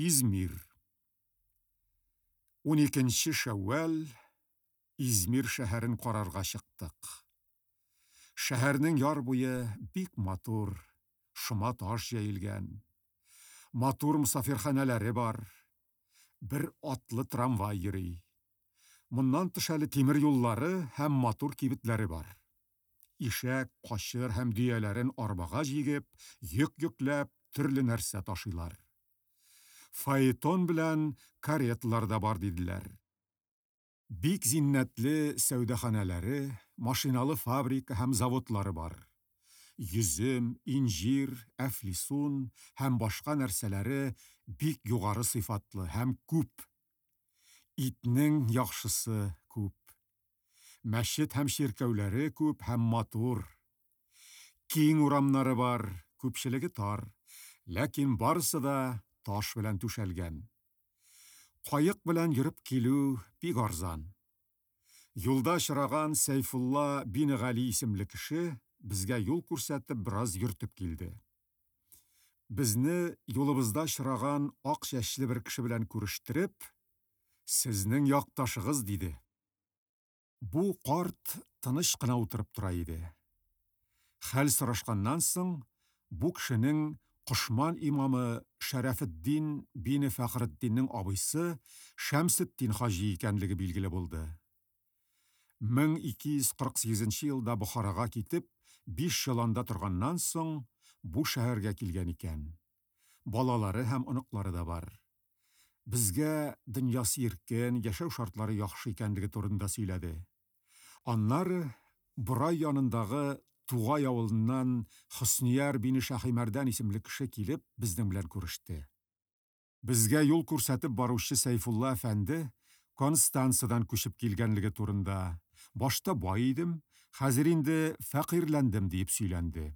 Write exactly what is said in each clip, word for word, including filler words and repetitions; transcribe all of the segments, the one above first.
Измир. Уникенче шәүвәл Измир шәһәрен карарга чыктык. Шәһәрнең яр буе бик матур, шома таш җәелгән. Матур мосафирханәләре бар. Бер атлы трамвай йөри. Моннан тыш әле тимер юллары һәм матур кибетләре бар. Ишәк, качыр һәм дөяләрен арбага җигеп, йөк йөкләп, төрле нәрсә ташыйлар. Фаэтон белән кареталар да бар, диделәр. Бик зиннәтле сәүдәханәләре, машиналы фабрика һәм заводлары бар. Йөзем, инҗир, әфлисун һәм башка нәрсәләре бик югары сыйфатлы һәм күп. Итнең яхшысы күп. Мәчет һәм чиркәүләре күп һәм матур. Киң урамнары бар, күпчелеге тар, ләкин барысы да таш белән түшәлгән. Каек белән йөреп килү бик арзан. Юлда очраган Сәйфулла бине Гали исемле кеше безгә юл күрсәтеп бераз йөртеп килде. Безне юлыбызда очраган ак чәчле бер кеше белән күрештереп, "Сезнең якташыгыз", диде. Бу карт тыныч кына утырып тора иде. Хәл сорашканнан соң, бу кешенең Кошман имамы Шәрәфетдин бине Фәхретдиннең абыйсы Шәмсетдин хаҗи икәнлеге билгеле булды. Мең ике йөз кырык сигезенче елда Бохарага китеп, биш ел анда торганнан соң бу шәһәргә килгән икән. Балалары һәм оныклары да бар. Безгә дөньясы иркен, яшәү шартлары яхшы икәнлеге турында сөйләде. Аннары Борай янындагы Тугай авылыннан Хөснияр бине Шаһимәрдән исемле кеше килеп безнең белән күреште. Безгә юл күрсәтеп баручы Сәйфулла әфәнде Констанцадан күчеп килгәнлеге турында, башта бай идем, хәзер инде фәкыйрьләндем диеп сөйләнде.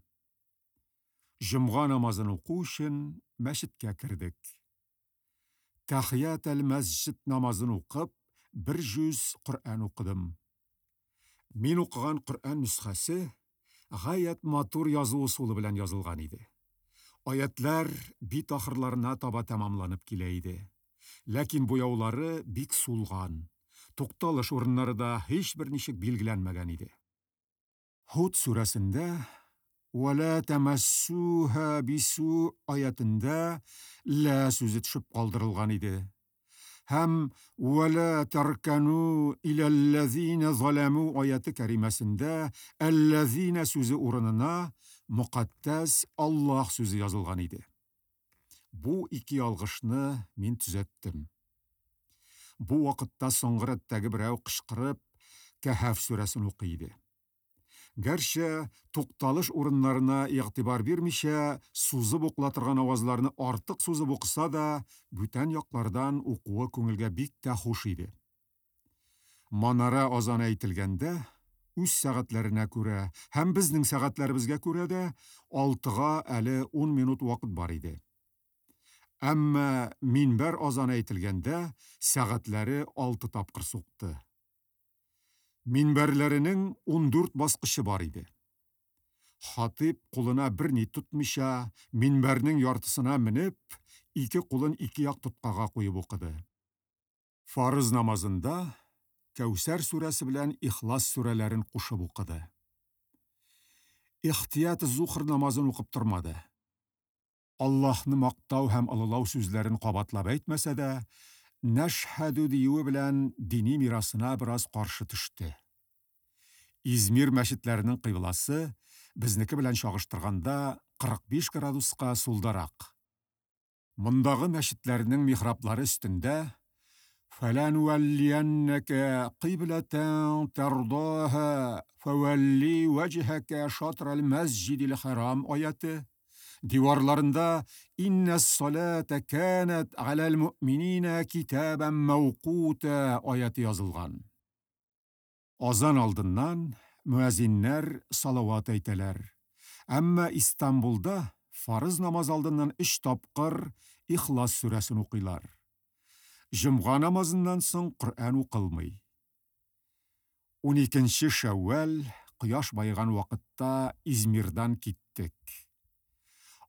Җомга намазын уку өчен мәчеткә кердек. Тәхият әл-мәсҗид намазын укып, бер җүз Коръән укыдым. Мин укыган Коръән нөсхәсе гаять матур язу ысулы белән язылган иде. Аятлар бит ахырларына таба тәмамланып килә иде. Ләкин буяулары бик сулган, тукталыш урыннары да һич бер ничек билгеләнмәгән иде. Һуд сүрәсендә «Вәлә тәмәссүһә бису» аятында «лә» сүзе төшеп калдырылган иде. Һәм «Вәлә тәркәнү иләлләзинә заләмү» аяты кәримәсендә «әлләзинә» сүзе урынына «Мукаддәс Аллаһ» сүзе язылган иде. Бу ике ялгышны мин төзәттем. Бу вакытта соңгы рәттәге берәү кычкырып Кәһәф сүрәсен укый иде. Гәрчә тукталыш урыннарына игътибар бирмичә сузып укыла торган авазларны артык сузып укыса да, бүтән яклардан укуы күңелгә бик тә хуш иде. Манара азаны әйтелгәндә, үз сәгатьләренә күрә һәм безнең сәгатьләребезгә күрә дә алтыга әле ун минут вакыт бар иде. Әмма минбәр азаны әйтелгәндә сәгатьләре алты тапкыр сукты. Минбәрләренең ундүрт баскычы бар иде. Хатип кулына берни тотмыйча, минбәрнең яртысына менеп, ике кулын ике як тоткага куеп укыды. Фарыз намазында Кәүсәр сүрәсе белән Ихлас сүрәләрен кушып укыды. Ихтият зухр намазын укып тормады. Аллаһны мактау һәм олылау сүзләрен кабатлап әйтмәсә дә, Нәшһәдү диюе белән дини мирасына бераз каршы төште. Измир мәчетләренең кыйбласы безнеке белән чагыштырганда кырык биш градуска сулдарак. Мондагы мәчетләрнең михраблары өстендә «Фәләнүәллияннәкә кыйбләтән тәрдаһа фәвәлли вәҗһәкә шатрал мәсҗидил хәрам» аяты, диварларында «Иннәс салата канат галәл муъминина китабан мәүкута» аяты язылган. Азан алдыннан мөәзиннәр салават әйтәләр. Әмма Истанбулда фарыз намаз алдыннан өч тапкыр Ихлас сүрәсен укыйлар. Җомга намазыннан соң Коръән укылмый. Уникенче шәүвәл кояш баеган вакытта Измирдан киттек.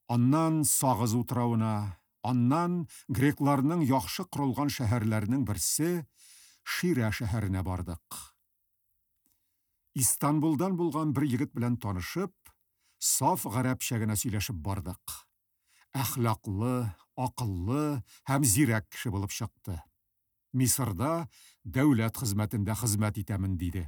Аннан Сагыз утравына, Аннан грекларның яхшы корылган шәһәрләренең берсе Ширә шәһәренә бардык. Истанбулдан булган бер егет белән танышып, саф гарәпчә генә сөйләшеп бардык. Әхлаклы, акыллы һәм зирәк кеше булып чыкты. Мисырда дәүләт хезмәтендә хезмәт итәмен, диде.